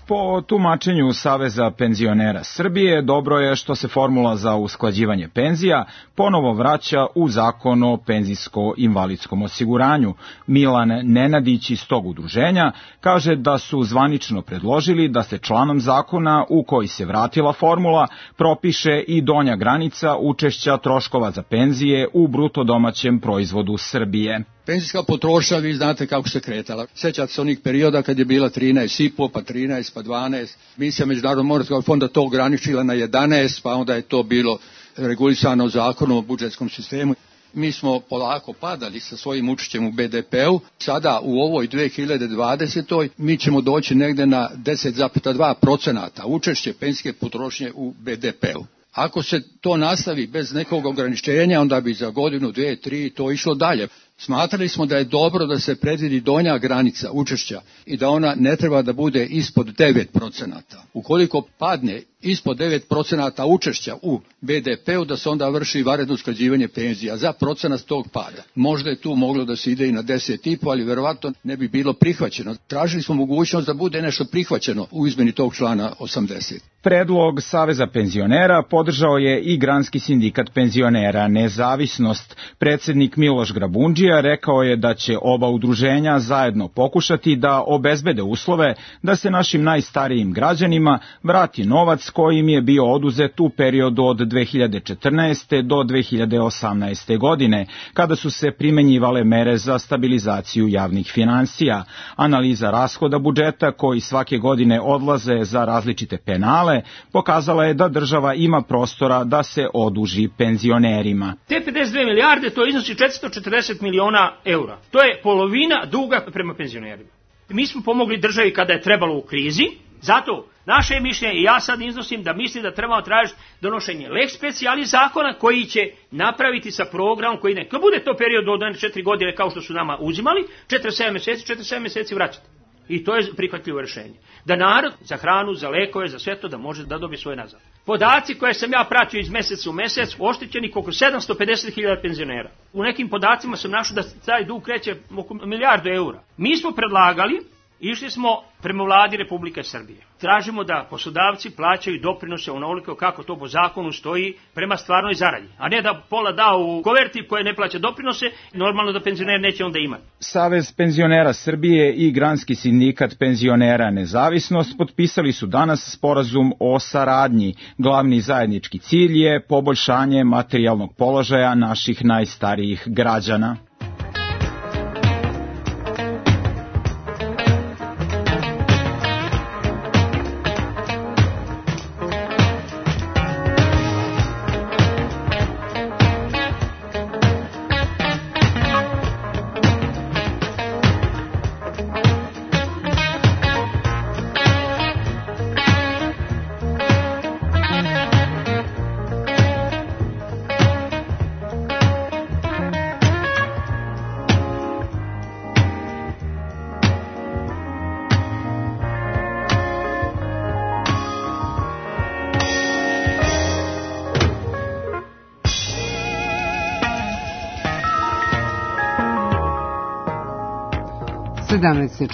Po tumačenju Saveza penzionera Srbije, dobro je što se formula za usklađivanje penzija ponovo vraća u zakon o penzijsko-invalidskom osiguranju. Milan Nenadić iz tog udruženja kaže da su zvanično predložili da se članom zakona u koji se vratila formula propiše i donja granica učešća troškova za penzije u bruto domaćem proizvodu Srbije. Penzijska potrošnja, vi znate kako se kretala. Sjećate se onih perioda kad je bila 13,5, pa 13, pa 12. Misija Međunarodnog monetarnog fonda to ograničila na 11, pa onda je to bilo regulisano zakonom o budžetskom sistemu. Mi smo polako padali sa svojim učešćem u BDP-u. Sada u ovoj 2020. mi ćemo doći negde na 10,2% učešće penzijske potrošnje u BDP-u. Ako se to nastavi bez nekog ograničenja, onda bi za godinu, 2, 3 to išlo dalje. Smatrali smo da je dobro da se predvidi donja granica učešća i da ona ne treba da bude ispod 9%. Ukoliko padne ispod 9% učešća u BDP-u, da se onda vrši vanredno usklađivanje penzija za procenat tog pada. Možda je tu moglo da se ide i na 10,5, ali verovatno ne bi bilo prihvaćeno. Tražili smo mogućnost da bude nešto prihvaćeno u izmeni tog člana 80. Predlog Saveza penzionera podržao je i Granski sindikat penzionera Nezavisnost. Predsednik Miloš Grabundžija rekao je da će oba udruženja zajedno pokušati da obezbede uslove da se našim najstarijim građanima vrati novac koji im je bio oduzet u periodu od 2014. do 2018. godine, kada su se primenjivale mere za stabilizaciju javnih finansija. Analiza rashoda budžeta koji svake godine odlaze za različite penale pokazala je da država ima prostora da se oduži penzionerima. Te 52 milijarde to iznosi 440 miliona eura. To je polovina duga prema penzionerima. Mi smo pomogli državi kada je trebalo u krizi, zato naše mišljenje i ja sad iznosim da mislim da trebamo tražiti donošenje lex specialis zakona koji će napraviti sa programom koji ne. Kad bude to period od 4 godine kao što su nama uzimali, 47 meseci vraćati. I to je prihvatljivo rješenje. Da narod za hranu, za lekove, za sve to da može da dobije svoje nazad. Podaci koje sam ja pratio iz meseca u mesec, oštećeni oko 750.000 penzionera. U nekim podacima sam našao da taj dug kreće oko 1 milijardu eura. Mi smo predlagali, išli smo prema vladi Republike Srbije. Tražimo da poslodavci plaćaju doprinose onoliko kako to po zakonu stoji prema stvarnoj zaradi. A ne da pola da u koverti koje ne plaća doprinose, normalno da penzioner neće onda imati. Savez penzionera Srbije i Granski sindikat penzionera Nezavisnost potpisali su danas sporazum o saradnji. Glavni zajednički cilj je poboljšanje materijalnog položaja naših najstarijih građana.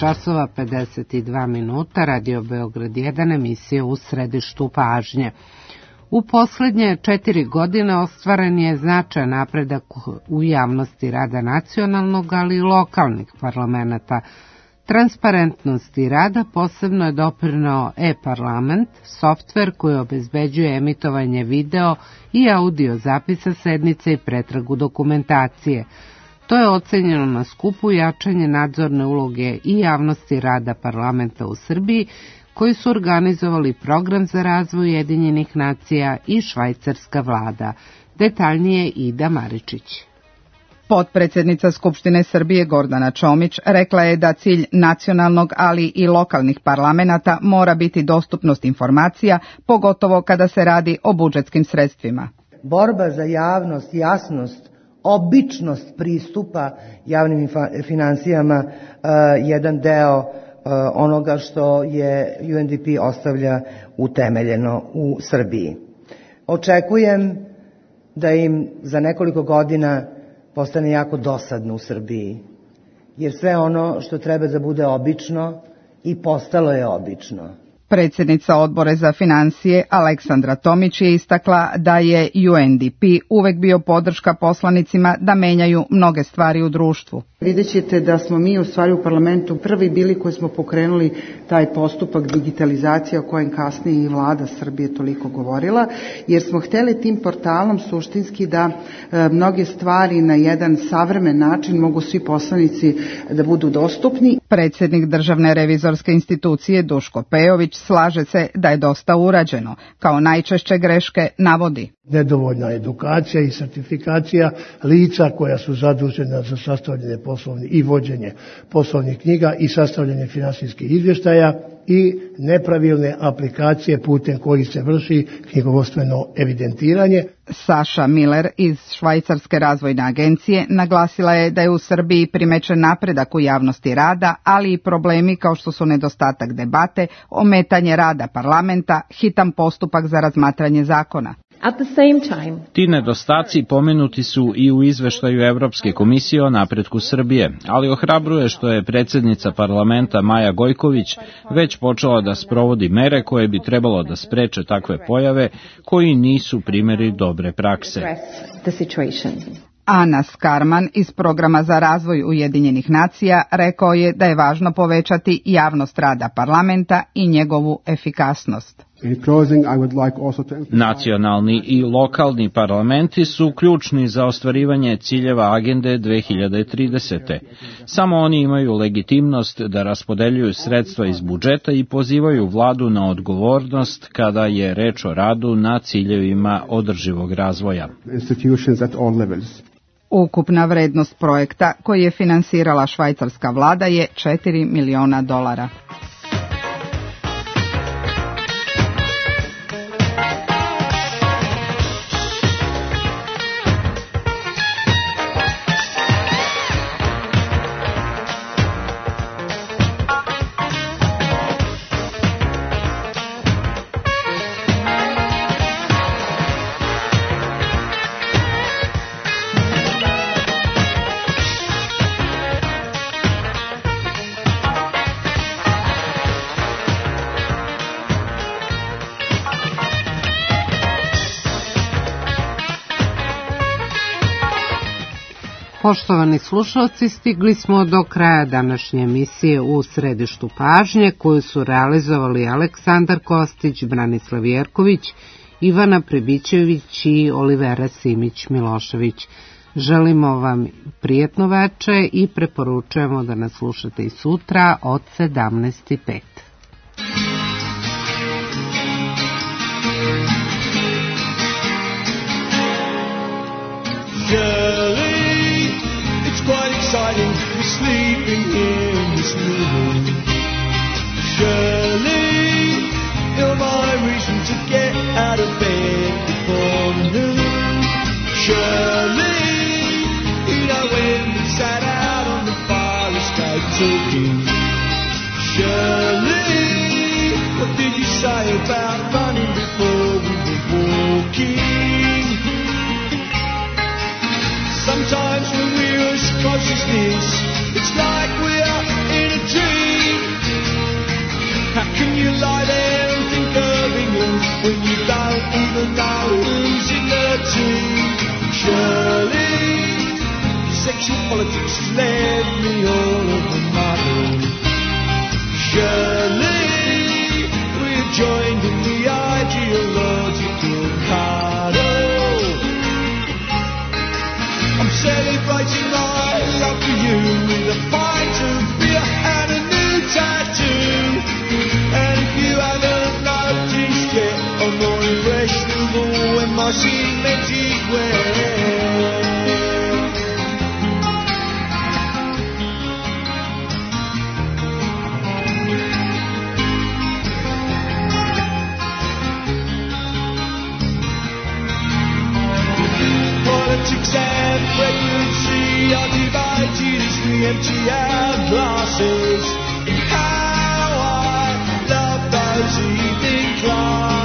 časova 52 minuta, Radio Beograd 1, emisija U središtu pažnje. U poslednje 4 godine ostvaren je značajan napredak u javnosti rada nacionalnog, ali i lokalnih parlamenta. Transparentnosti rada posebno je doprineo e-parlament, softver koji obezbeđuje emitovanje video i audio zapisa sednice i pretragu dokumentacije. To je ocenjeno na skupu jačanje nadzorne uloge i javnosti rada parlamenta u Srbiji, koji su organizovali program za razvoj Ujedinjenih nacija i švajcarska vlada. Detaljnije Ida Maričić. Potpredsednica Skupštine Srbije Gordana Čomić rekla je da cilj nacionalnog, ali i lokalnih parlamenata mora biti dostupnost informacija, pogotovo kada se radi o budžetskim sredstvima. Borba za javnost, jasnost, običnost pristupa javnim finansijama jedan deo onoga što je UNDP ostavlja utemeljeno u Srbiji. Očekujem da im za nekoliko godina postane jako dosadno u Srbiji, jer sve ono što treba da bude obično i postalo je obično. Predsjednica Odbora za finansije Aleksandra Tomić je istakla da je UNDP uvek bio podrška poslanicima da menjaju mnoge stvari u društvu. Vidjet ćete da smo mi u stvari u parlamentu prvi bili koji smo pokrenuli taj postupak digitalizacije o kojem kasnije i vlada Srbije toliko govorila, jer smo hteli tim portalom suštinski da mnoge stvari na jedan savremen način mogu svi poslanici da budu dostupni. Predsjednik Državne revizorske institucije Duško Pejović slaže se da je dosta urađeno. Kao najčešće greške navodi. Nedovoljna edukacija i sertifikacija lica koja su zadužena za sastavljanje i vođenje poslovnih knjiga i sastavljanje finansijskih izvještaja i nepravilne aplikacije putem kojih se vrši knjigovodstveno evidentiranje. Saša Miller iz Švajcarske razvojne agencije naglasila je da je u Srbiji primećen napredak u javnosti rada, ali i problemi kao što su nedostatak debate, ometanje rada parlamenta, hitan postupak za razmatranje zakona. Ti nedostaci pomenuti su i u izveštaju Evropske komisije o napretku Srbije, ali ohrabruje što je predsjednica parlamenta Maja Gojković već počela da sprovodi mere koje bi trebalo da spreče takve pojave koji nisu primjeri dobre prakse. Ana Skarman iz Programa za razvoj Ujedinjenih nacija rekao je da je važno povećati javnost rada parlamenta i njegovu efikasnost. Nacionalni i lokalni parlamenti su ključni za ostvarivanje ciljeva agende 2030. Samo oni imaju legitimnost da raspodeljuju sredstva iz budžeta i pozivaju vladu na odgovornost kada je reč o radu na ciljevima održivog razvoja. Ukupna vrednost projekta koji je finansirala švajcarska vlada je $4 miliona. Poštovani slušalci, stigli smo do kraja današnje emisije U središtu pažnje, koju su realizovali Aleksandar Kostić, Branislav Jerković, Ivana Prebićević i Olivera Simić-Milošević. Želimo vam prijetno veče i preporučujemo da nas slušate i sutra od 17:05. Quite exciting to be sleeping here in this new room. Surely you're my reason to get out of bed before noon. Surely you know when we sat out on the fire escape talking. Surely what did you say about running before we were walking? Sometimes when we lose consciousness, it's like we're in a dream. How can you lie there and think of England when you don't even know who's in the team? Surely sexual politics has left me all over my own. Surely we're joined in the ideological carnival. I'm celebrating my love for you with a pint of beer and a new tattoo. And if you haven't noticed yet, I'm more impressionable when my cemented wear. Politics and pregnancy are divided as we empty our glasses. How I love those evening classes.